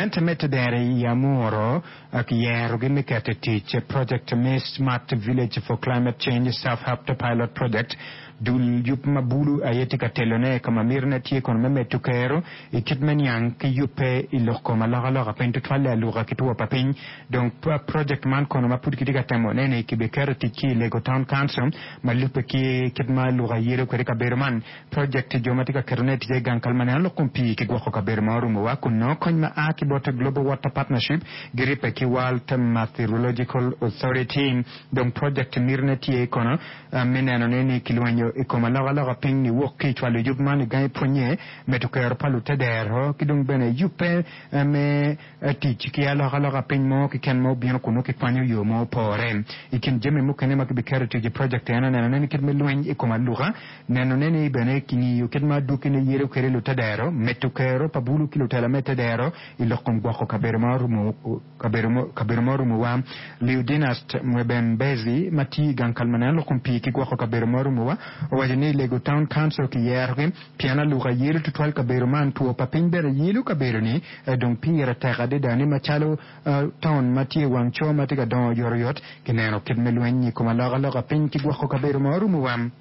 Gamente me tedero i Amuro kiyerogi me keto i tic projekt me Smart Village for Climate Change Self-Help Pilot Project. Dul yub ma bulu aye tye ka telone ka ma mitine tye kono me medo kero i kit me niang ki yubbe i lok kom alokaloka piny tutwalle aluka ki two pa piny. Dong projekt man kono ma pud kitye ka temone ni kibiketo i tic ki i Lego Town Council ma lubbe ki kit ma aluka yelo kwede kabedo man. Projekt jo ma tye ka ketone i ticce i gang kal ma neno lok kom pii ki gwoko kabedo ma orumowa kun nongo kony ma a ki bot Global Water Partnership giribbe ki World Meteorological Authority. Dong projekt mitine tye kono me nenone ni kilwenyo i kom alokaloka piny niwok ki i cwalo yub man i gangi pwonye, medo kero pa lutedero ki dong bene yubbe me Tic ki alokaloka piny mo keken ma obino kun nongo kikwanyo yo ma opore. I kin jami mukene ma kibiketo i tic i projekt en aye nenone ni kit me lweny i kom aluka, nenone ni bene kingiyo kit ma adwogine yelo kwede lutedero, medo kero pa bulu ki lutela me tedero i lok kom gwoko kabedo ma orumo kabedo ma orumowa. Leudinast Mwebembezi ma tiyo i gang kal ma neno lok kom pii ki gwoko kabedo ma orumowa owaco ni Lego Town Council kiyerogi pien aluka yelo tutwal kabedo man, two pa piny bene yelo kabedo-ni. Dong pire tek adada ni macalo taun ma tye i wang coo ma tye ka dongo oyotoyot, kineno kit me lweny i kom alokaloka piny ki gwoko kabedo ma orumowa.